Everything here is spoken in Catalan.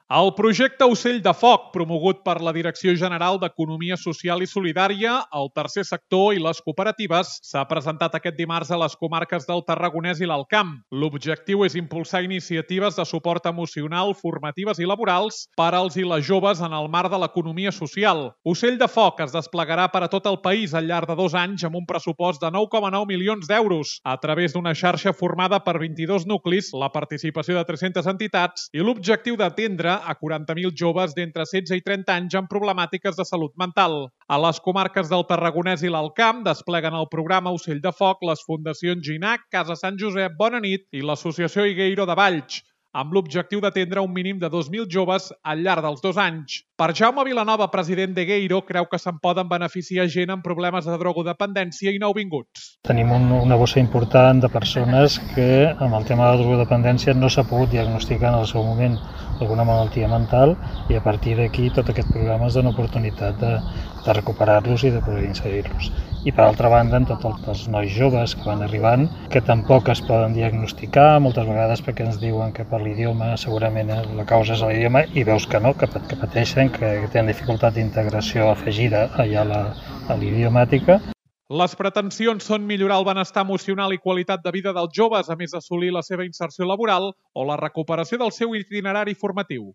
El projecte Ocell de Foc, promogut per la Direcció General d'Economia Social i Solidària, el Tercer Sector i les cooperatives, s'ha presentat aquest dimarts a les comarques del Tarragonès i l'Alt Camp. L'objectiu és impulsar iniciatives de suport emocional, formatives i laborals per als i les joves en el marc de l'economia social. Ocell de Foc es desplegarà per a tot el país al llarg de 2 anys amb un pressupost de 9,9 milions d'euros a través d'una xarxa formada per 22 nuclis, la participació de 300 entitats i l'objectiu d'atendre a 40.000 joves d'entre 16 i 30 anys amb problemàtiques de salut mental. A les comarques del Tarragonès i l'Alt Camp despleguen el programa Ocell de Foc les fundacions Ginac, Casa Sant Josep, Bona Nit i l'Associació Higueiro de Valls, amb l'objectiu d'atendre un mínim de 2.000 joves al llarg dels 2 anys. Per Jaume Vilanova, president d'Higueiro, creu que se'n poden beneficiar gent amb problemes de drogodependència i nouvinguts. Tenim una bossa important de persones que amb el tema de la drogodependència no s'ha pogut diagnosticar en el seu moment alguna malaltia mental i a partir d'aquí tot aquest programa és una oportunitat de recuperar-los i de poder inserir-los. I per altra banda, amb tots els nois joves que van arribant, que tampoc es poden diagnosticar, moltes vegades perquè ens diuen que per l'idioma segurament la causa és l'idioma i veus que no, que pateixen, que tenen dificultat d'integració afegida allà a l'idiomàtica. Les pretensions són millorar el benestar emocional i qualitat de vida dels joves, a més d'assolir la seva inserció laboral o la recuperació del seu itinerari formatiu.